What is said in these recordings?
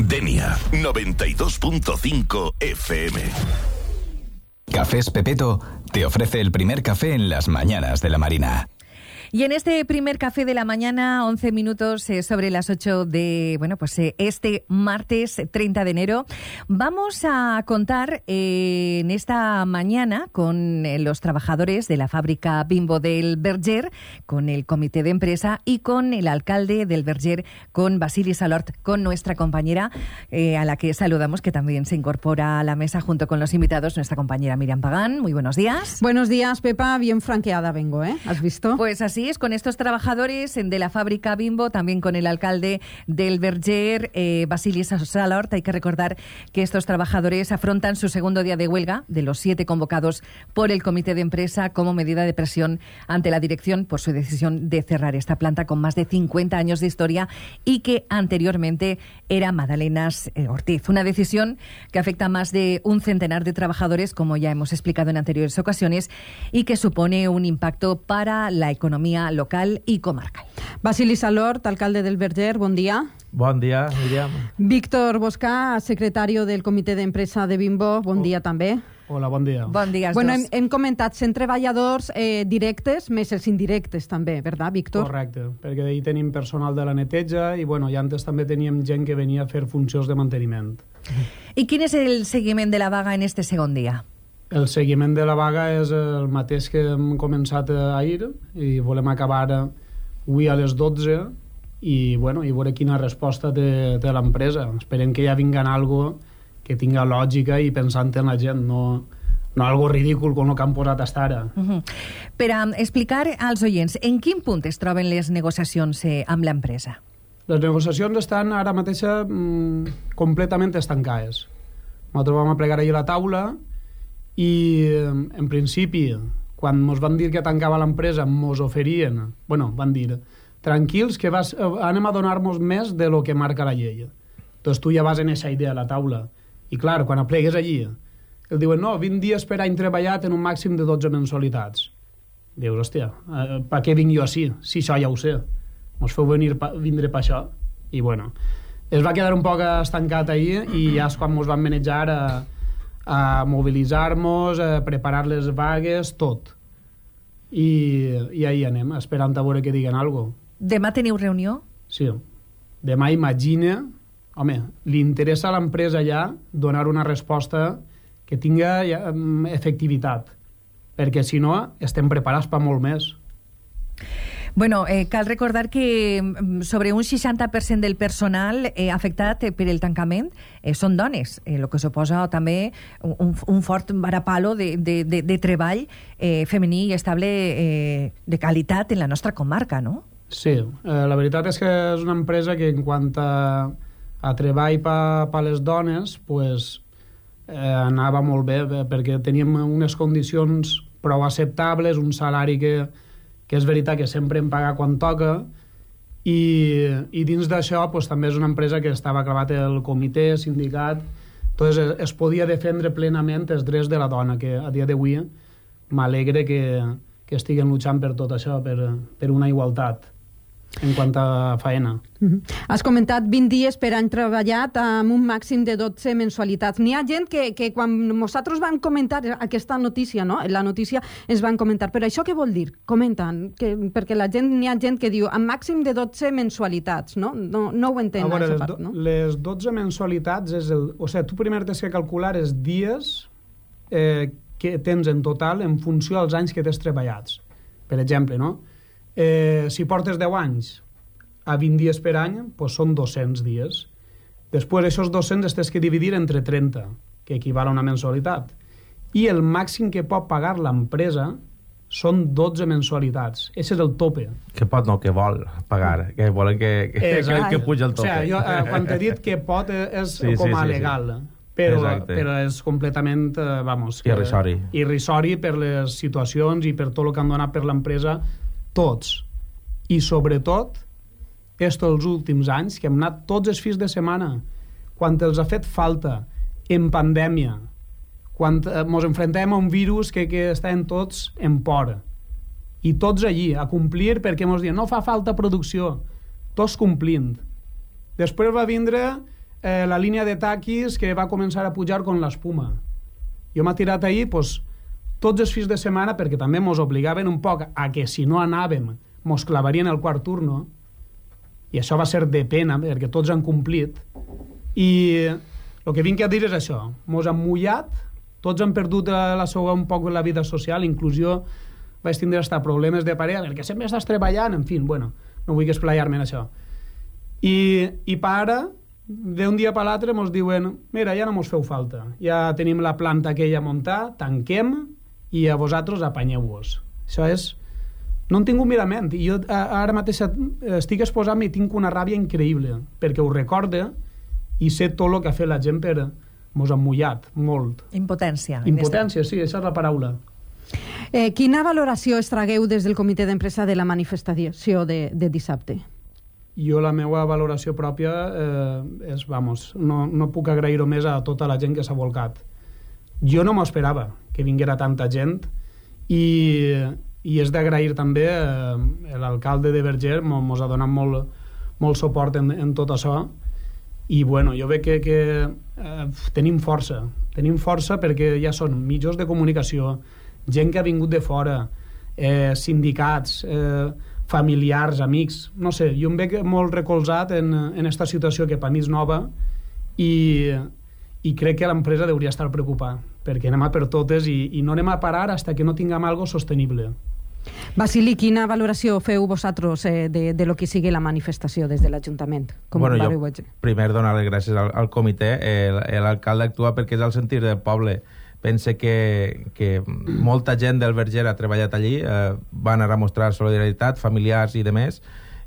Denia 92.5 FM. Cafés Pepeto te ofrece el primer café en las mañanas de la Marina. Y en este primer café de la mañana, 11 minutos sobre las 8 de, este martes 30 de enero, vamos a contar en esta mañana con los trabajadores de la fábrica Bimbo del Verger, con el comité de empresa y con el alcalde del Verger, con Vasily Salort, con nuestra compañera, a la que saludamos, que también se incorpora a la mesa junto con los invitados, nuestra compañera Miriam Pagán. Muy buenos días. Buenos días, Pepa. Bien franqueada vengo, ¿eh? ¿Has visto? Pues así es, con estos trabajadores de la fábrica Bimbo, también con el alcalde del Verger, Vasily Salort. Hay que recordar que estos trabajadores afrontan su segundo día de huelga, de los 7 convocados por el comité de empresa como medida de presión ante la dirección por su decisión de cerrar esta planta con más de 50 años de historia y que anteriormente era Madalenas Ortiz. Una decisión que afecta a más de un centenar de trabajadores, como ya hemos explicado en anteriores ocasiones, y que supone un impacto para la economía local y comarcal. Vasily Salort, alcalde del Verger, bon dia. Bon dia, Miriam. Víctor Boscà, secretari del comitè d'empresa de Bimbo, bon dia també. Hola, bon dia. Bon dia als bueno, dos. hem comentat 100 treballadors directes, més els indirectes també, verdad, Víctor? Correcte, perquè ahir tenim personal de la neteja i i antes també teníem gent que venia a fer funcions de manteniment. I quin és el seguiment de la vaga en este segon dia? El seguiment de la vaga és el mateix que hem començat ahir i volem acabar avui a les 12 i veure quina resposta té l'empresa. Esperem que ja vinguen algo que tinga lògica i pensant en la gent, no algo ridícul com el que han posat hasta ara. Per a explicar als oients, en quin punt es troben les negociacions amb l'empresa? Les negociacions estan ara mateix completament estancades. Nosaltres vam plegar ahir a la taula i en principi quan ens van dir que tancava l'empresa ens oferien, van dir tranquils que anem a donar-nos més de lo que marca la llei. Doncs tu ja vas en aquesta idea a la taula i clar, quan aplegues allí el diuen, no, 20 dies per any treballat en un màxim de 12 mensualitats. Dius, hòstia, per què vinc jo així? Si això ja ho sé, ens feu vindre per això. I es va quedar un poc estancat ahir i ja és quan ens van manejar a mobilitzar-nos, a preparar les vagues, tot. I ahí anem, esperant a veure que diguen alguna cosa. Demà teniu reunió? Sí. Demà imagina... Home, li interessa a l'empresa ja donar una resposta que tinga efectivitat, perquè si no estem preparats per molt més. Cal recordar que sobre un 60% del personal afectat per el tancament són dones, el que suposa també un fort varapalo de treball femení i estable de qualitat en la nostra comarca, no? Sí, la veritat és que és una empresa que en quant a treball per les dones anava molt bé perquè teníem unes condicions prou acceptables, un salari que és veritat que sempre em paga quan toca i dins d'això també és una empresa que estava clavat el comitè, sindicat, entonces es podia defendre plenament els drets de la dona, que a dia d'avui m'alegre que estiguen luchant per tot això, per una igualtat en quant a faena. Has comentat 20 dies per any treballat amb un màxim de 12 mensualitats. N'hi ha gent que quan nosaltres vam comentar aquesta notícia, no? La notícia ens van comentar, però això què vol dir? Comenten, perquè n'hi ha gent que diu amb màxim de 12 mensualitats, no? No ho entén, aquesta part, no? Les 12 mensualitats és tu primer tens que calcular els dies que tens en total en funció dels anys que tens treballats. Per exemple, no? Si portes 10 anys a 20 dies per any, són 200 dies. Després, aquests 200 els tens que dividir entre 30, que equival a una mensualitat. I el màxim que pot pagar l'empresa són 12 mensualitats. Aquest és el tope. Que pot, no, que vol pagar. Que volen que puja el tope. O sigui, quan t'he dit que pot és com a legal. Però és completament, irrisori per les situacions i per tot el que han donat per l'empresa tots. I sobretot els últims anys que hem anat tots els fins de setmana quan els ha fet falta en pandèmia, quan ens enfrontem a un virus que estem tots en por i tots allí a complir perquè ens diuen no fa falta producció, tots complint. Després va vindre la línia de taquis que va començar a pujar con l'espuma. Jo m'ha tirat ahir tots els fins de setmana, perquè també mos obligaven un poc a que si no anàvem mos clavarien el quart turno, i això va ser de pena perquè tots han complit, i el que vinc a dir és això, mos han mullat, tots han perdut un poc la vida social, inclusió, vaig tindre hasta problemes de parella perquè sempre estàs treballant, en fi, bueno, no vull esplaiar-me en això, i para d'un dia per l'altre mos diuen, mira, ja no mos feu falta, ja tenim la planta aquella muntada, tanquem i a vosaltres apanyeu-vos. Això és... No en tinc un mirament, i jo ara mateix estic exposant-me i tinc una ràbia increïble, perquè ho recorde i sé tot el que ha fet la gent per... Mos han mullat, molt. Impotència. Impotència, sí, aquesta és la paraula. Quina valoració es tragueu des del comitè d'empresa de la manifestació de dissabte? Jo la meva valoració pròpia és, vamos, no puc agrair-ho més a tota la gent que s'ha volcat. Jo no m'ho esperava que vinguera tanta gent i és d'agrair també l'alcalde de Verger mos ha donat molt suport en tot això i bueno, jo veig que tenim força perquè ja són mitjans de comunicació, gent que ha vingut de fora, sindicats, familiars, amics, no sé, jo em veig molt recolzat en esta situació que per mi és nova i crec que l'empresa hauria estar preocupada perquè anem a per totes i no anem a parar fins que no tinguem algo sostenible. Basili, quina valoració feu vosaltres de lo que sigui la manifestació des de l'Ajuntament? Bueno, jo primer donar les gràcies al comitè. L'alcalde actua perquè és el sentir del poble. Pense que molta gent del Verger ha treballat allí, van a mostrar solidaritat, familiars i demés.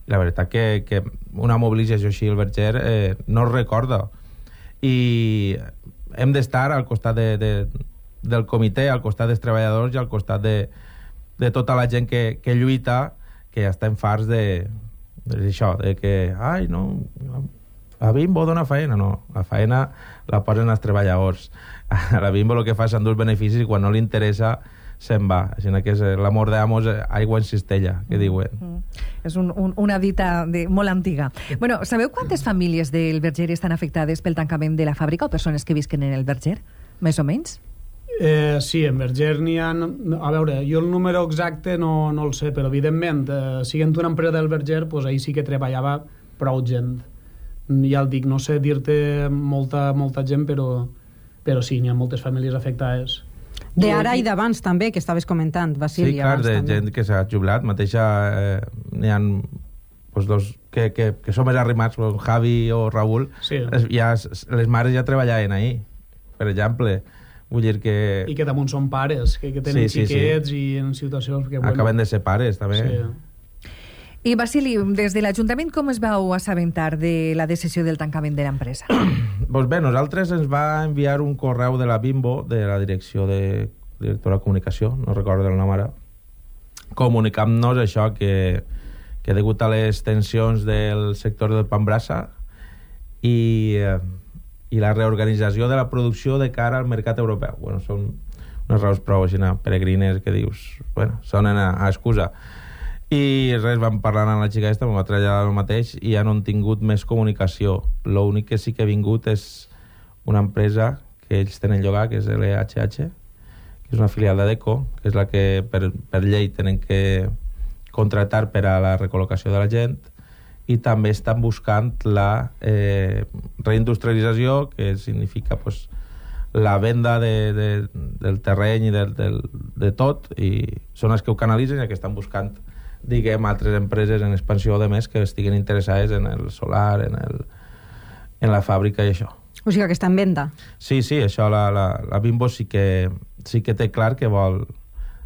I la veritat que una mobilització així al Verger no es recorda. I hem d'estar al costat del comitè, al costat dels treballadors i al costat de tota la gent que lluita, que ja estem farts d'això, de que ai, no, a Bimbo dona faena. No, la faena la posen els treballadors. A la Bimbo el que fa és endur els beneficis i quan no li interessa se'n va. Així que és l'amor d'amos, aigua en cistella, que diuen. És una dita molt antiga. Bueno, sabeu quantes famílies del Verger estan afectades pel tancament de la fàbrica o persones que visquen en el Verger? Més o menys? Sí, en Verger n'hi ha... A veure, jo el número exacte no el sé, però evidentment, siguent una empresa del Verger, pues ahir sí que treballava prou gent. Ja el dic, no sé dir-te molta gent, però sí, n'hi ha moltes famílies afectades. D'ara i d'abans també, que estaves comentant, Basili. Sí, clar, de gent que s'ha jubilat. Mateixa n'hi ha pues, dos que són més arrimats, Javi o Raül, sí. Les mares ja treballaven ahir, per exemple. Vull dir que... I que damunt són pares, que tenen xiquets i en situacions... que bueno, acaben de ser pares, també. Sí. I, Basili, des de l'Ajuntament com es vau assabentar de la decisió del tancament de l'empresa? Doncs bé, nosaltres ens va enviar un correu de la Bimbo, de la directora de comunicació, no recordo el nom ara, comunicant-nos això, que degut a les tensions del sector del pa amb brasa i la reorganització de la producció de cara al mercat europeu. Bueno, són unes raons prou així peregrines que dius, bueno, sonen a excusa. I res, vam parlar amb la xica aquesta, m'ho va traslladar el mateix i ja no han tingut més comunicació. L'únic que sí que ha vingut és una empresa que ells tenen llogar, que és LHH, que és una filial d'Adeco, que és la que per llei tenen que contractar per a la recol·locació de la gent, i també estan buscant la reindustrialització, que significa pues, la venda del terreny i de tot, i són els que ho canalitzen i que estan buscant, diguem, altres empreses en expansió de més que estiguen interessades en el solar, en la fàbrica i això. O sigui que està en venda. Sí, això la Bimbo sí que té clar que vol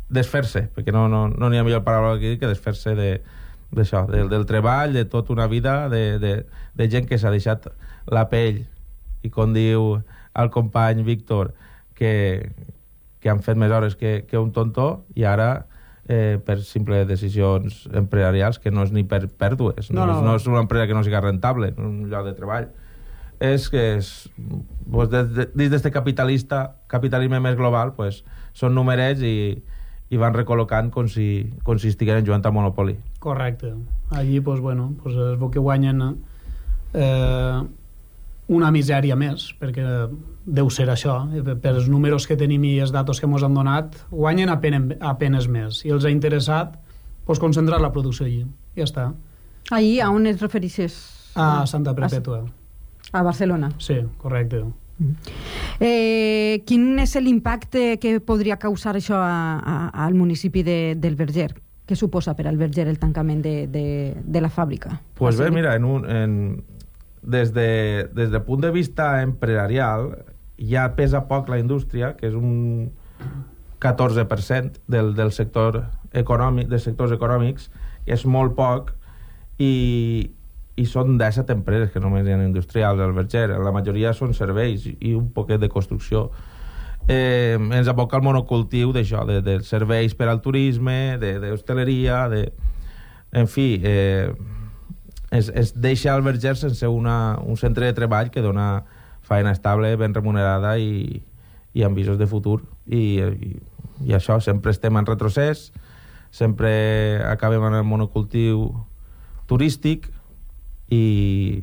desfer-se, perquè no n'hi ha millor paraula que dir que desfer-se d'això, del treball, de tota una vida, de gent que s'ha deixat la pell, i com diu el company Víctor, que han fet més hores que un tontó, i ara per simples decisions empresarials, que no és ni per pèrdues, no és una empresa que no sigui rentable, un lloc de treball. És que pues, dins d'aquest capitalisme més global, pues, són numerets i van recol·locant com si estigueren jugant a Monopoly. Correcte. Allí, pues, bueno, pues, es veu que guanyen una misèria més, perquè deu ser això. Per els números que tenim i els datos que ens han donat, guanyen apenes més. I els ha interessat concentrar la producció allí. Ja està. Ahir, a on es referixes? A Santa Perpètua. A Barcelona. Sí, correcte. Quin és l'impacte que podria causar això al municipi del Verger? Què suposa per al Verger el tancament de la fàbrica? Pues bé, mira, des del punt de vista empresarial ja pesa poc la indústria, que és un 14% del sector econòmic, dels sectors econòmics, és molt poc, i són 17 empreses que només hi ha industrials al Verger. La majoria són serveis i un poquet de construcció. Ens aboca el monocultiu d'això, de serveis per al turisme, d'hostaleria, en fi, es deixa el Verger sense un centre de treball que dona feina estable, ben remunerada i amb visos de futur. I això, sempre estem en retrocés, sempre acabem en el monocultiu turístic i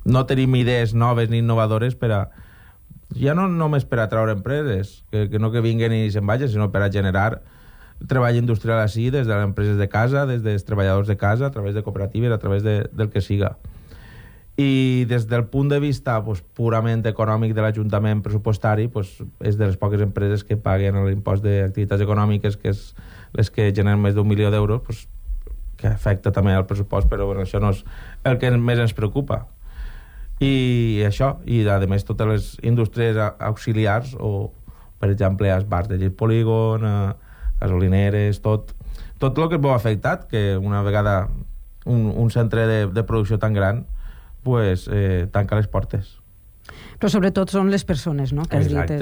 no tenim idees noves ni innovadores ja no només per atraure empreses que no que vinguen i se'n vagin, sinó per a generar treball industrial així des de les empreses de casa, des dels treballadors de casa, a través de cooperatives, a través del que siga. I des del punt de vista purament econòmic de l'Ajuntament pressupostari, és de les poques empreses que paguen l'impost d'activitats econòmiques, que és les que generen més d'1 milió d'euros, que afecta també el pressupost, però això no és el que més ens preocupa. I això, i a més totes les indústries auxiliars, o per exemple els bars de llit polígon, gasolineres, tot el que es veu afectat, que una vegada un centre de producció tan gran tanca les portes. Però sobretot són les persones, no? Que exacte,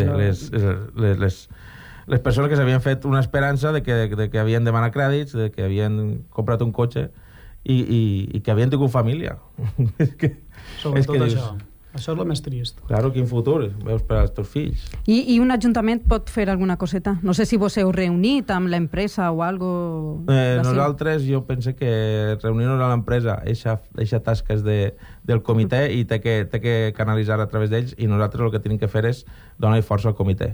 les persones que s'havien fet una esperança de que havien demanat crèdits, de que havien comprat un cotxe i que havien tingut família. Sobretot això. Això és el més trist. Claro, quin futur veus per als teus fills. I un ajuntament pot fer alguna coseta? No sé si vos heu reunit amb l'empresa o algo... Nosaltres, jo penso que reunir-nos a l'empresa, eixa tasca és del comitè i té que canalitzar a través d'ells, i nosaltres el que tenim que fer és donar força al comitè.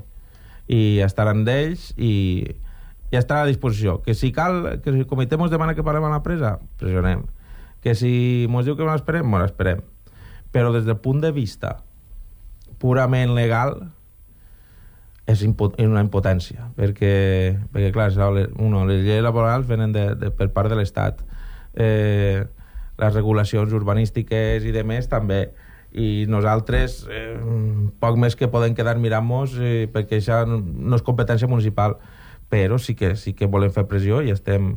I estar amb ells i estar a disposició. Que si cal, que si el comitè ens demana que parlem a l'empresa, pressionem. Que si ens diu que no l'esperem, no l'esperem. Però des del punt de vista purament legal és una impotència, perquè clar, les lleis laborals venen per part de l'Estat, les regulacions urbanístiques i demés també, i nosaltres poc més que podem quedar mirant-nos perquè això no és competència municipal, però sí que volem fer pressió i estem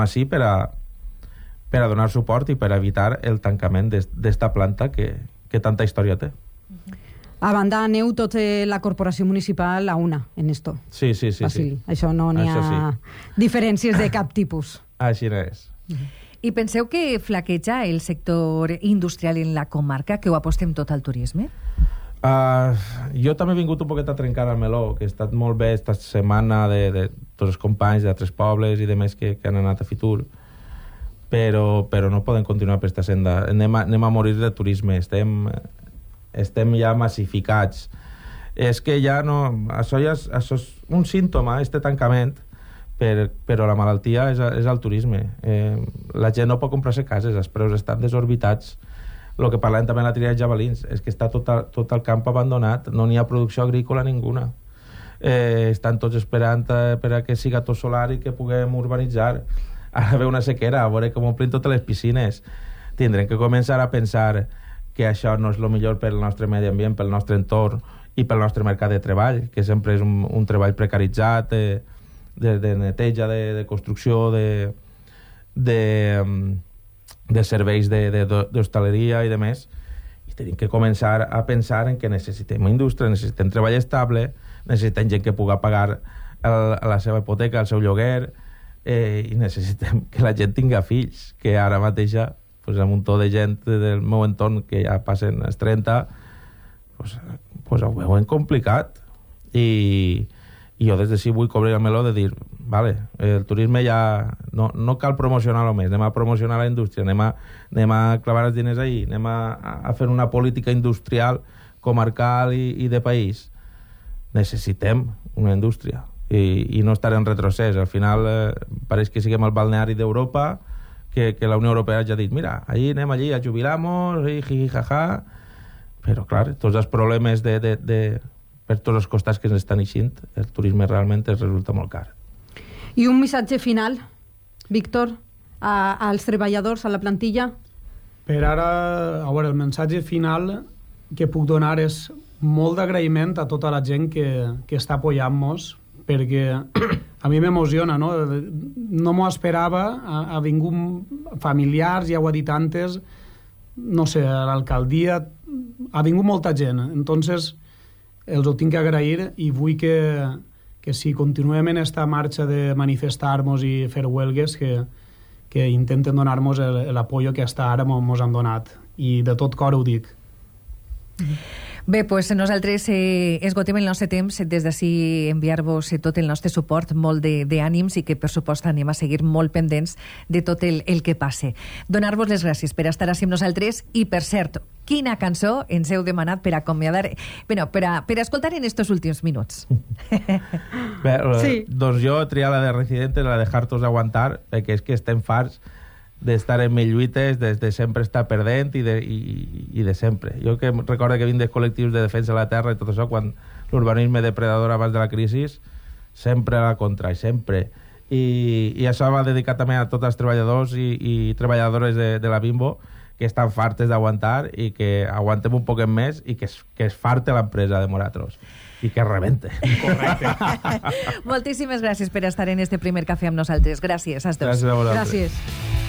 així per a donar suport i per evitar el tancament d'esta planta que tanta història té. A banda, aneu tota la corporació municipal a una en esto. Sí. Basili. Això no n'hi ha diferències de cap tipus. Així no és. I penseu que flaqueja el sector industrial en la comarca, que ho apostem tot al turisme? Jo també he vingut un poquet a trencar el meló, que ha estat molt bé esta setmana de tots els companys d'altres pobles i demés que han anat a Fitur, però no podem continuar per aquesta senda. Anem a morir de turisme, estem ja massificats. És que ja no... Això és un símptoma, este tancament, però la malaltia és el turisme. La gent no pot comprar-se cases, els preus estan desorbitats. El que parlem també en la tria de javelins és que està tot el camp abandonat, no n'hi ha producció agrícola ninguna. Estan tots esperant per a que siga tot solar i que puguem urbanitzar. Ara ve una sequera, a veure com omplim totes les piscines. Tindrem que començar a pensar que això no és el millor pel nostre medi ambient, pel nostre entorn i pel nostre mercat de treball, que sempre és un treball precaritzat, de neteja, de construcció, de serveis d'hostaleria i demés. I tenim que començar a pensar en que necessitem indústria, necessitem treball estable, necessitem gent que pugui pagar la seva hipoteca, el seu lloguer, i necessitem que la gent tinga fills, que ara mateixa amb un muntó de gent del meu entorn que ja passen els 30 ho veuen complicat, i I jo des de sí vull cobrir el meló de dir, vale, el turisme ja no cal promocionar-lo més, anem a promocionar la indústria, anem a clavar els diners ahí, anem a fer una política industrial comarcal i de país. Necessitem una indústria i no estar en retrocés. Al final pareix que siguem el balneari d'Europa, que la Unió Europea ja ha dit, mira, allí anem allí a jubilar-nos, jaja, però clar, tots els problemes per tots els costats que ens estan eixint, el turisme realment es resulta molt car. I un missatge final, Víctor, als treballadors, a la plantilla? Per ara, a veure, el missatge final que puc donar és molt d'agraïment a tota la gent que està apoyant-nos, perquè a mi m'emociona, no? No m'ho esperava, ha vingut familiars, ja ho ha dit antes, no sé, a l'alcaldia, ha vingut molta gent, entonces els ho tinc que agrair i vull que si continuem en esta marxa de manifestar-nos i fer huelgues, que intenten donar-nos l'apoyo que hasta ara mos han donat. I de tot cor ho dic. Bé, doncs nosaltres esgotem el nostre temps, des d'ací enviar-vos tot el nostre suport, molt d'ànims i que per supost anem a seguir molt pendents de tot el que passe. Donar-vos les gràcies per estar així amb nosaltres i, per cert, quina cançó ens heu demanat per acomiadar, bueno, per escoltar en estos últims minuts? Bé, sí. Doncs jo he triat la de Residentes, la de Hartos Aguantar, perquè és que estem farts d'estar en mil lluites, de sempre estar perdent i de sempre. Jo que recordo que vinc dels col·lectius de defensa de la terra i tot això, quan l'urbanisme depredador abans de la crisi, sempre a la contra, sempre. I això va dedicat també a tots els treballadors i treballadores de la Bimbo, que estan fartes d'aguantar i que aguantem un poquet més i que es farte l'empresa de Moratros i que rebente. Correcte. Moltíssimes gràcies per estar en este primer cafè amb nosaltres. Gràcies, als dos. Gràcies a vosaltres. Gràcies.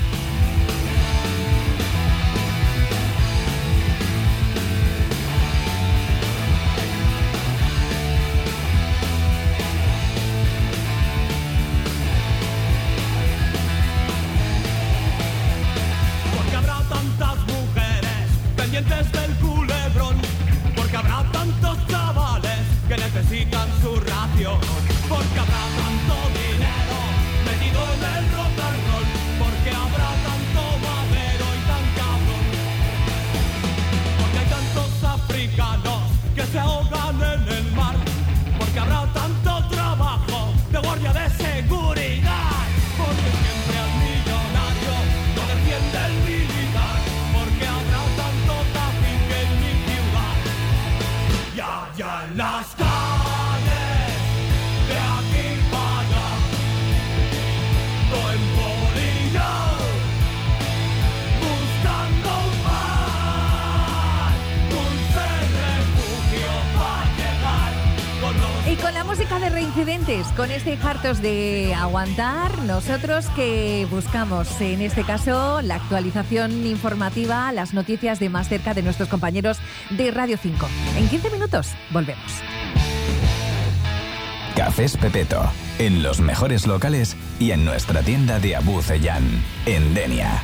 Con este Hartos de Aguantar, nosotros que buscamos, en este caso, la actualización informativa, las noticias de más cerca de nuestros compañeros de Radio 5. En 15 minutos, volvemos. Cafés Pepeto, en los mejores locales y en nuestra tienda de Abu Ceyán, en Denia.